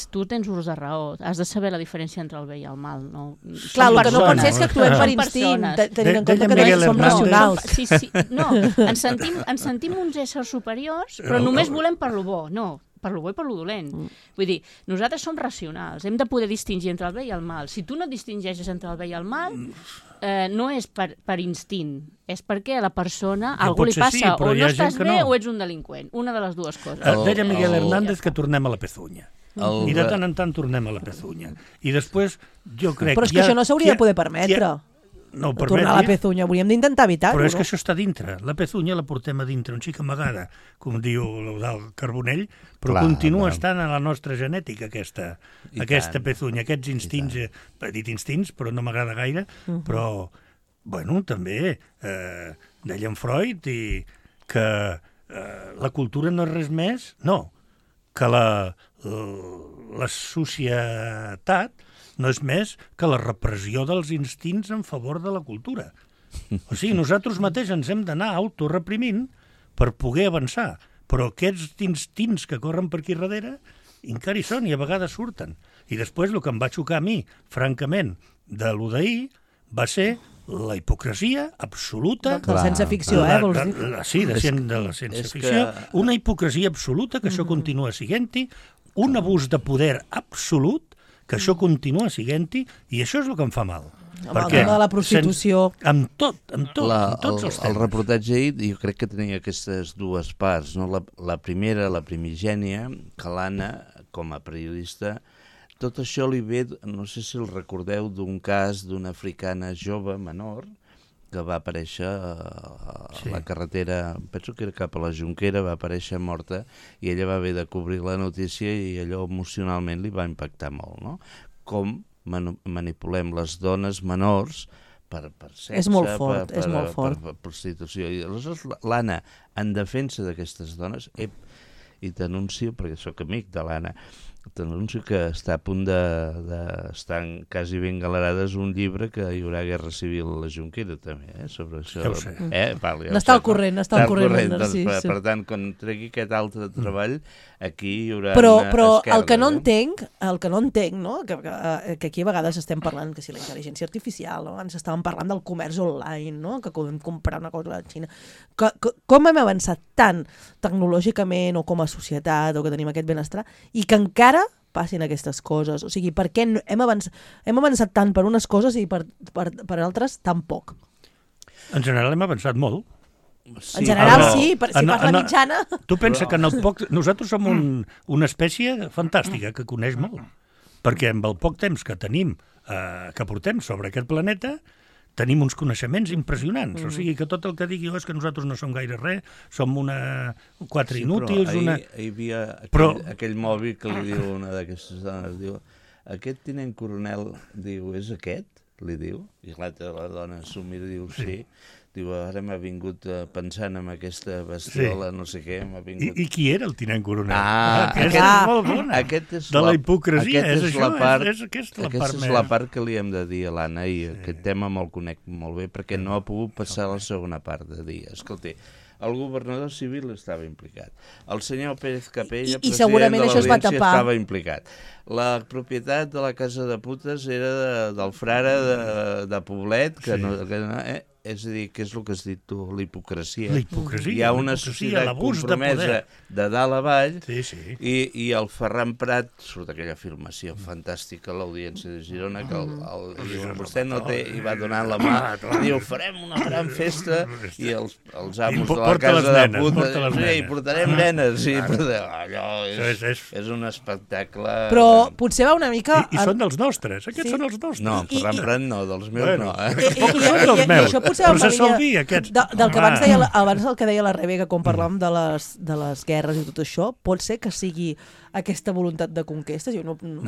tu tens ús de raó, has de saber la diferència entre el bé i el mal, no? Clar, el que no pot ser és que actuem per instint, tenint en compte que no som racionals. Sí, no, ens sentim uns éssers superiors, però només volem per lo bo, no, per lo bo i per lo dolent. Vull dir, nosaltres som racionals, hem de poder distingir entre el bé i el mal. Si tu no distingeixes entre el bé i el mal, no és per instint, és perquè a la persona algú li passa, o no estàs bé o ets un delinqüent, una de les dues coses. Deia Miguel Hernández que tornem a la pezunya. I de tant en tant tornem a la pezunya. I després, jo crec... Però és que això no s'hauria de poder permetre. No, tornar a la pezunya, hauríem d'intentar evitar-ho. Però és que això està dintre, la pezunya la portem a dintre, un xic amagada, com diu l'Eudald Carbonell, però continua estant a la nostra genètica aquesta pezunya, aquests instints, he dit instints, però no m'agrada gaire, però, bueno, també deia en Freud que la cultura no és res més, no, que la societat no és més que la repressió dels instints en favor de la cultura. O sigui, nosaltres mateix ens hem d'anar autoreprimint per poder avançar, però aquests instints que corren per aquí darrere encara hi són i a vegades surten. I després el que em va xocar a mi, francament, de lo d'ahir, va ser la hipocresia absoluta... De la ciència-ficció, vols dir? Sí, de la ciència-ficció. Una hipocresia absoluta, que això continua siguent-hi, un abús de poder absolut, que això continua siguent-hi, i això és el que em fa mal. Amb el tema de la prostitució... Amb tots els temes. El reportatge ahir jo crec que tenia aquestes dues parts, no? La primera, la primigènia, que l'Anna, com a periodista, tot això li ve, no sé si el recordeu, d'un cas d'una africana jove, menor, que va aparèixer a la carretera, penso que era cap a la Jonquera, va aparèixer morta i ella va haver de cobrir la notícia i allò emocionalment li va impactar molt, no? Com manipulem les dones menors per sexe, és molt fort, és molt fort. Per prostitució. I aleshores l'Anna, en defensa d'aquestes dones, i t'anuncio, perquè sóc amic de l'Anna, t'anuncio que està a punt d'estar quasi ben galerades un llibre que hi haurà guerra civil a la Jonquera també, sobre això. Ja ho sé. N'està al corrent, Narcís. Per tant, quan tregui aquest altre treball, aquí hi haurà però esquerdes. el que no entenc, no? Que aquí a vegades estem parlant que si la intel·ligència artificial, no? Ens estàvem parlant del comerç online, no? Que podem comprar una cosa a la Xina. Com hem avançat tant tecnològicament o com a societat o que tenim aquest benestar i que encara passin aquestes coses? O sigui, per què hem avançat tant per unes coses i per altres tan poc? En general hem avançat molt. Sí, en general sí, si fas la mitjana... Tu pensa que en el poc... Nosaltres som una espècie fantàstica que coneix molt, perquè amb el poc temps que tenim, que portem sobre aquest planeta, tenim uns coneixements impressionants. O sigui, que tot el que digui és que nosaltres no som gaire res, som quatre inútils... Però hi havia aquell mòbil que li diu una d'aquestes dones, diu, aquest tinent coronel, diu, és aquest? Li diu, i l'altra dona s'ho mira i diu, sí. Diu, ara m'ha vingut pensant en aquesta bestiola, no sé què, m'ha vingut... I qui era el tinent coronel? Aquesta és molt bona. De la hipocresia, és això, aquesta és la part que li hem de dir a l'Anna, i aquest tema me'l conec molt bé, perquè no ha pogut passar la segona part de dir, escolta, el governador civil estava implicat, el senyor Pérez Capella, president de l'Audiència, estava implicat, la propietat de la casa de putes era del frare de Poblet, que no... És a dir, què és el que has dit tu? La hipocresia. Hi ha una societat compromesa de dalt a baix i el Ferran Prat, surt aquella filmació fantàstica a l'Audiència de Girona, que vostè no té, i va donant la mà, diu, farem una gran festa i els amos de la casa de puta, i portarem nenes, i allò és un espectacle... Però potser va una mica... I són dels nostres, aquests són els nostres. No, Ferran Prat no, dels meus no. Són dels meus. Però se sol dir, aquests. Del que abans el que deia la Rebecca, quan parlàvem de les guerres i tot això, pot ser que sigui aquesta voluntat de conquesta?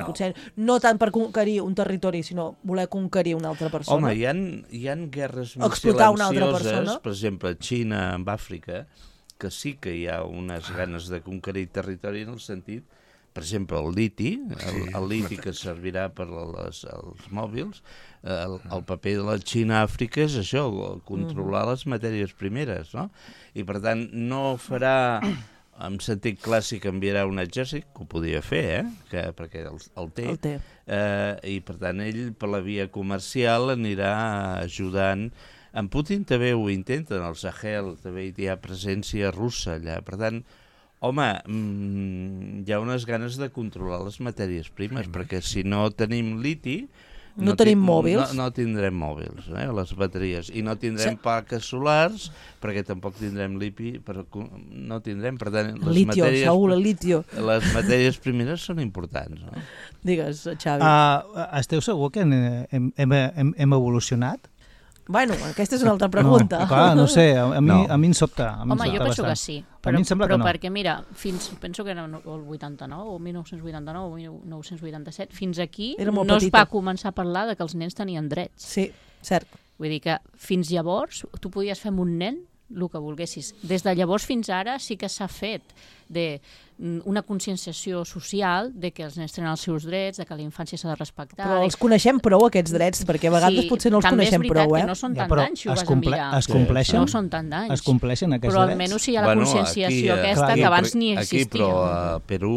Potser no tant per conquerir un territori, sinó voler conquerir una altra persona? Home, hi ha guerres molt silencioses, per exemple, Xina amb Àfrica, que sí que hi ha unes ganes de conquerir territori en el sentit, per exemple, el liti que servirà per als mòbils, el paper de la Xina a Àfrica és això, controlar les matèries primeres, no? I per tant no farà, en sentit clàssic, enviarà un exèrcit, que ho podia fer, perquè el té, i per tant ell per la via comercial anirà ajudant. En Putin també ho intenten, el Sahel també hi ha presència russa allà, per tant, home, hi ha unes ganes de controlar les matèries primes, perquè si no tenim liti... No tenim mòbils. No tindrem mòbils, les bateries. I no tindrem plaques solars, perquè tampoc tindrem liti, no tindrem, per tant... Litio. Les matèries primeres són importants, no? Digues, Xavi. Esteu segur que hem evolucionat? Bueno, aquesta és una altra pregunta. No, clar, no sé, a mi em sobta. Home, jo penso que sí, però perquè mira, penso que era el 89, o 1989, o 1987, fins aquí no es va començar a parlar de que els nens tenien drets. Sí, cert. Vull dir que fins llavors tu podies fer amb un nen el que volguessis. Des de llavors fins ara sí que s'ha fet una conscienciació social de que els nens tenen els seus drets, de que la infància s'ha de respectar... Però els coneixem prou, aquests drets, perquè a vegades potser no els coneixem prou, també és veritat que no són tant d'anys, si ho vas a mirar. Es compleixen? No són tant d'anys. Es compleixen aquests drets? Però almenys hi ha la conscienciació aquesta que abans ni existia. Aquí, però a Perú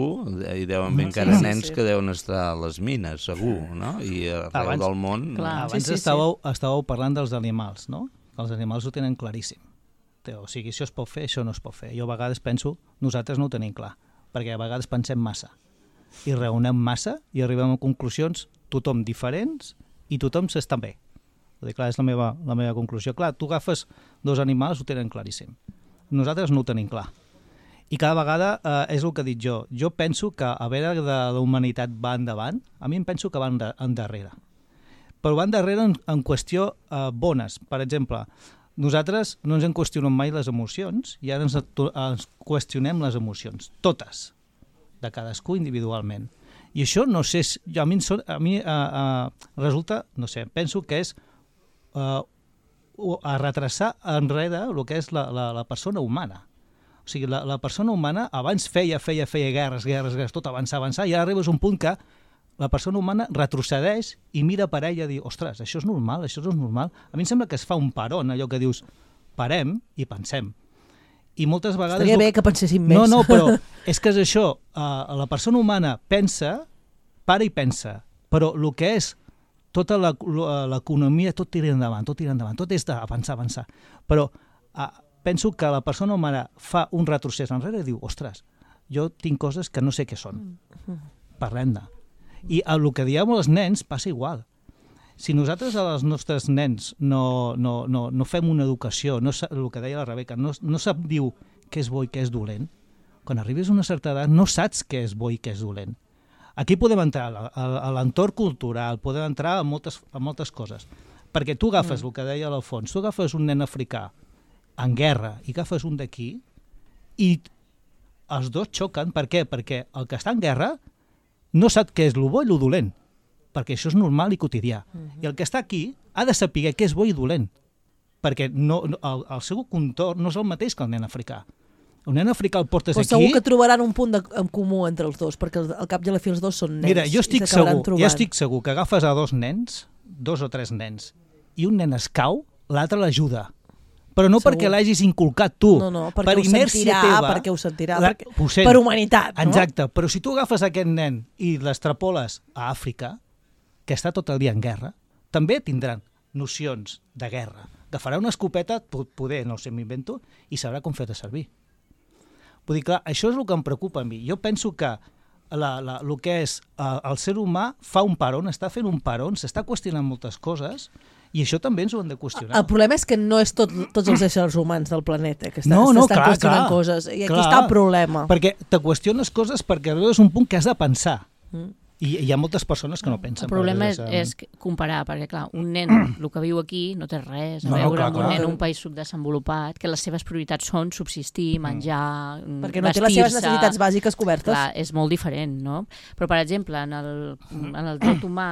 hi deuen haver encara nens que deuen estar a les mines, segur, no? I arreu del món... Abans estàveu parlant dels animals, no? Els animals ho tenen claríssim. O sigui, això es pot fer, això no es pot fer. Jo a vegades penso, nosaltres no ho tenim clar, perquè a vegades pensem massa i raonem massa i arribem a conclusions tothom diferents i tothom s'està bé. Clar, és la meva conclusió. Clar, tu agafes dos animals, ho tenen claríssim. Nosaltres no ho tenim clar. I cada vegada és el que dic jo. Jo penso que a veure de la humanitat va endavant, a mi em penso que va endarrere. però van darrere en qüestió bones. Per exemple, nosaltres no ens en qüestionem mai les emocions i ara ens qüestionem les emocions, totes, de cadascú individualment. I això, no sé, a mi resulta, no sé, penso que és a retrasar enrere el que és la persona humana. O sigui, la persona humana abans feia guerres, tot avançar, i ara arribes a un punt que la persona humana retrocedeix i mira per ella i diu, ostres, això és normal, això no és normal. A mi em sembla que es fa un paron, allò que dius, parem i pensem. I moltes vegades... Estaria bé que penséssim més. No, però és que és això, la persona humana para i pensa, però el que és tota l'economia, tot tira endavant, tot és d'avançar. Però penso que la persona humana fa un retrocés enrere i diu, ostres, jo tinc coses que no sé què són, parlem-ne. I el que diem als nens passa igual. Si nosaltres als nostres nens no fem una educació, el que deia la Rebeca, no sap dir què és bo i què és dolent, quan arribis a una certa edat no saps què és bo i què és dolent. Aquí podem entrar a l'entorn cultural, podem entrar a moltes coses, perquè tu agafes el que deia l'Alfons, tu agafes un nen africà en guerra i agafes un d'aquí i els dos xoquen. Per què? Perquè el que està en guerra no sap què és el bo i el dolent, perquè això és normal i quotidià. I el que està aquí ha de saber què és bo i dolent, perquè el seu contorn no és el mateix que el nen africà. El nen africà el portes aquí... Segur que trobaran un punt en comú entre els dos, perquè al cap i a la fi els dos són nens. Mira, jo estic segur que agafes a dos o tres nens, i un nen es cau, l'altre l'ajuda. Però no perquè l'hagis inculcat tu, per inèrcia teva. Perquè ho sentirà, per humanitat. No? Exacte, però si tu agafes aquest nen i l'extrapoles a Àfrica, que està tot el dia en guerra, també tindran nocions de guerra. Agafarà una escopeta, poder, no sé, m'invento, i sabrà com fer-te servir. Vull dir, clar, això és el que em preocupa a mi. Jo penso que el que és el ser humà fa un paron, està fent un paron, s'està qüestionant moltes coses, i això també ens ho hem de qüestionar. El problema és que no és tots els éssers humans del planeta que estan qüestionant coses. I aquí està el problema. Perquè te qüestiones coses perquè arribes a un punt que has de pensar. I hi ha moltes persones que no pensen. El problema és comparar, perquè clar, un nen, el que viu aquí, no té res a veure amb un nen en un país subdesenvolupat, que les seves prioritats són subsistir, menjar, perquè no té les seves necessitats bàsiques cobertes. Clar, és molt diferent, no? Però, per exemple, en el dret humà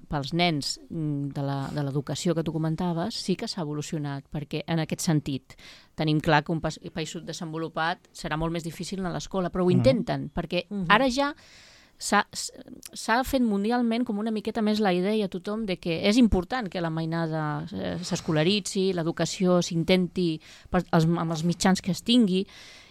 pels nens de l'educació que tu comentaves, sí que s'ha evolucionat, perquè en aquest sentit tenim clar que un país subdesenvolupat serà molt més difícil a l'escola, però ho intenten, perquè ara ja s'ha fet mundialment com una miqueta més la idea a tothom de que és important que la mainada s'escolaritzi, l'educació s'intenti amb els mitjans que es tingui,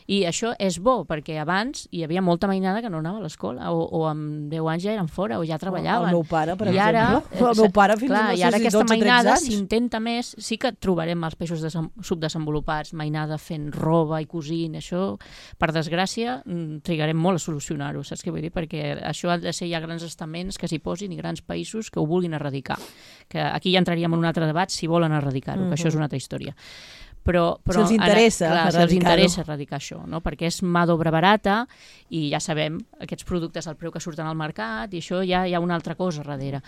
i això és bo, perquè abans hi havia molta mainada que no anava a l'escola, o amb 10 anys ja eren fora, o ja treballaven. El meu pare, per exemple. El meu pare fins a no sé si 12 o 13 anys. I ara aquesta mainada s'intenta més, sí que trobarem els països subdesenvolupats, mainada fent roba i cosint, això, per desgràcia, trigarem molt a solucionar-ho, saps què vull dir? Perquè això ha de ser ja grans estaments que s'hi posin i grans països que ho vulguin erradicar. Que aquí ja entraríem en un altre debat si volen erradicar-ho, que això és una altra història. Però si els interessa erradicar això, no? Perquè és mà d'obra barata i ja sabem aquests productes al preu que surten al mercat i això ja hi ha una altra cosa darrere.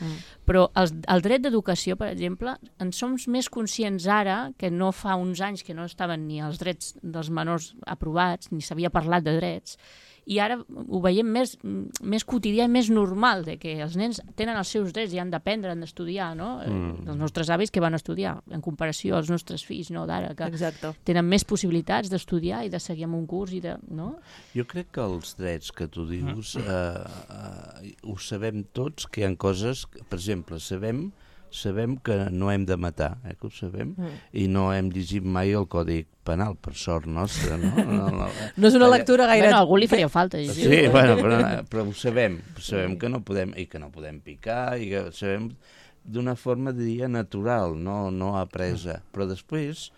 Però el dret d'educació, per exemple, en som més conscients ara que no fa uns anys que no estaven ni els drets dels menors aprovats, ni s'havia parlat de drets, i ara ho veiem més quotidià i més normal, de que els nens tenen els seus drets i han d'aprendre, han d'estudiar, no? Els nostres avis que van estudiar, en comparació als nostres fills d'ara, que tenen més possibilitats d'estudiar i de seguir amb un curs. No? Jo crec que els drets que tu dius ho sabem tots, que hi ha coses, per exemple, sabem que no hem de matar, que ho sabem, i no hem llegit mai el Codi Penal, per sort nostra, no? No és una lectura gaire... Bueno, a algú li faria falta. Sí, bueno, però ho sabem que no podem, i que no podem picar, i que ho sabem d'una forma, diria, natural, no apresa. Però després,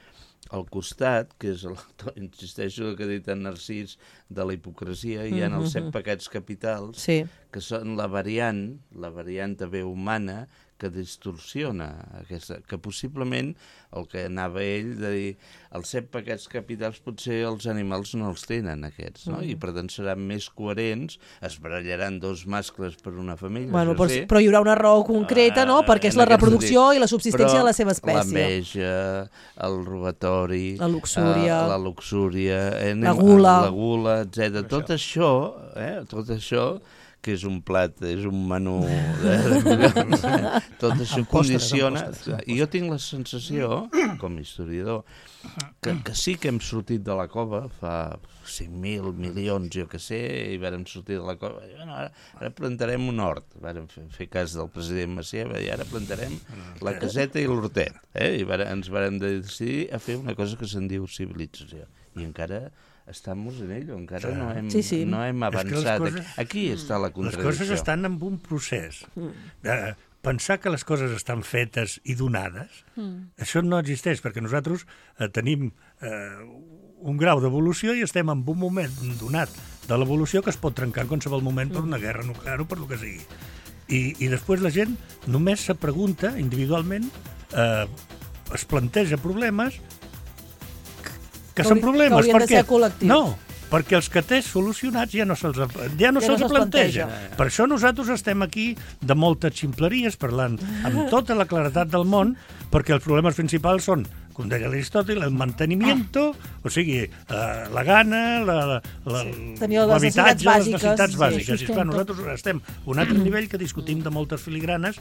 al costat, que és, insisteixo el que ha dit en Narcís, de la hipocresia, hi ha els 7 pecats capitals, que són la variant també humana, que distorsiona aquesta, que possiblement el que anava ell de dir els 7 paquets capitals potser els animals no els tenen aquests, no? I per tant seran més coherents, es barallaran 2 mascles per una família, bueno, però hi haurà una raó concreta, no? Perquè és la reproducció i la subsistència de la seva espècie. L'enveja, el robatori, la luxúria, la gula, etc. Tot això que és un plat, és un menú tot això condiciona, i jo tinc la sensació, com a historiador, que sí que hem sortit de la cova fa 5.000 milions, jo que sé, i vàrem sortir de la cova, ara plantarem un hort, vàrem fer cas del president Macià, i ara plantarem la caseta i l'hortet, i ens vàrem decidir a fer una cosa que se'n diu civilització, i encara estamos en ello, encara no hem avançat. Aquí està la contradicció. Les coses estan en un procés. Pensar que les coses estan fetes i donades, això no existeix, perquè nosaltres tenim un grau d'evolució i estem en un moment donat de l'evolució que es pot trencar en qualsevol moment per una guerra nuclear o per el que sigui. I després la gent només se pregunta individualment, es planteja problemes que són problemes. Que haurien de ser col·lectius. No, perquè els que té solucionats ja no se'ls planteja. Per això nosaltres estem aquí de moltes ximpleries parlant amb tota la claredat del món, perquè els problemes principals són, com deia Aristòtil, el mantenimiento, o sigui, la gana, l'habitatge, les necessitats bàsiques. I esclar, nosaltres estem a un altre nivell que discutim de moltes filigranes.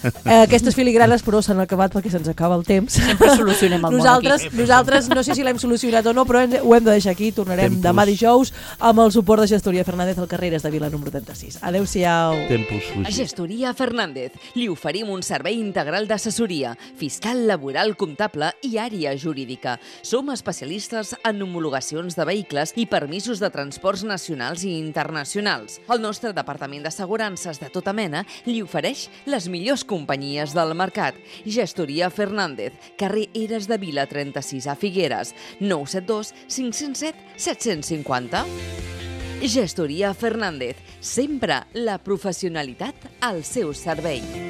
Aquestes filigranes, però, s'han acabat perquè se'ns acaba el temps. Sempre solucionem el món aquí. Nosaltres, no sé si l'hem solucionat o no, però ho hem de deixar aquí. Tornarem demà dijous amb el suport de Gestoria Fernández al Carreres de Vila número 36. Adéu-siau. A Gestoria Fernández li oferim un servei integral d'assessoria, fiscal, laboral, comptable i àrea jurídica. Som especialistes en homologacions de vehicles i permisos de transports nacionals i internacionals. El nostre departament d'assegurances de tota mena li ofereix les millors companyies del mercat. Gestoria Fernández, carrer Eres de Vila 36 a Figueres, 972 507 750. Gestoria Fernández, sempre la professionalitat al seu servei.